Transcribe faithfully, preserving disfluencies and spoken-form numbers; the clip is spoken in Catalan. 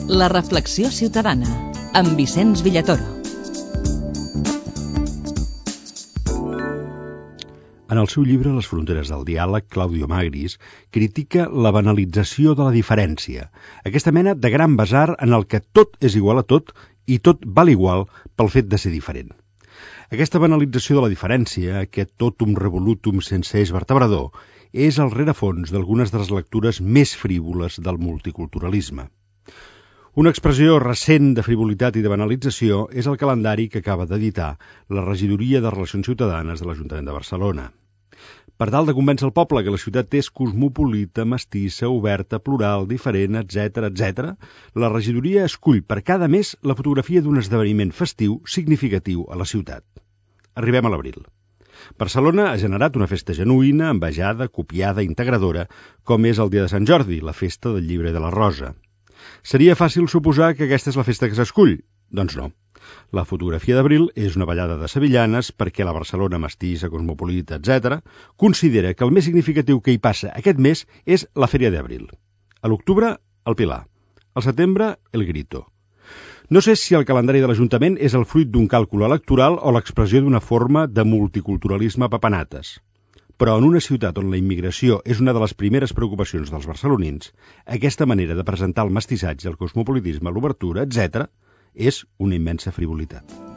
La reflexió ciutadana, amb Vicenç Villatoro. En el seu llibre Les fronteres del diàleg, Claudio Magris critica la banalització de la diferència, aquesta mena de gran basar en el que tot és igual a tot i tot val igual pel fet de ser diferent. Aquesta banalització de la diferència, aquest totum revolutum sense eix vertebrador, és el rerefons d'algunes de les lectures més frívoles del multiculturalisme. Una expressió recent de frivolitat i de banalització és el calendari que acaba d'editar la Regidoria de Relacions Ciutadanes de l'Ajuntament de Barcelona. Per tal de convèncer el poble que la ciutat és cosmopolita, mestissa, oberta, plural, diferent, etcètera, etcètera, la regidoria escull per cada mes la fotografia d'un esdeveniment festiu significatiu a la ciutat. Arribem a l'abril. Barcelona ha generat una festa genuïna, envejada, copiada, integradora, com és el dia de Sant Jordi, la festa del llibre de la Rosa. Seria fàcil suposar que aquesta és la festa que s'escull? Doncs no. La fotografia d'abril és una ballada de sevillanes perquè la Barcelona mestissa, cosmopolita, etcètera, considera que el més significatiu que hi passa aquest mes és la Fèria d'Abril. A l'octubre, el Pilar. Al setembre, el Grito. No sé si el calendari de l'Ajuntament és el fruit d'un càlcul electoral o l'expressió d'una forma de multiculturalisme a papanates. Però en una ciutat on la immigració és una de les primeres preocupacions dels barcelonins, aquesta manera de presentar el mestissatge, el cosmopolitisme, l'obertura, etcètera, és una immensa frivolitat.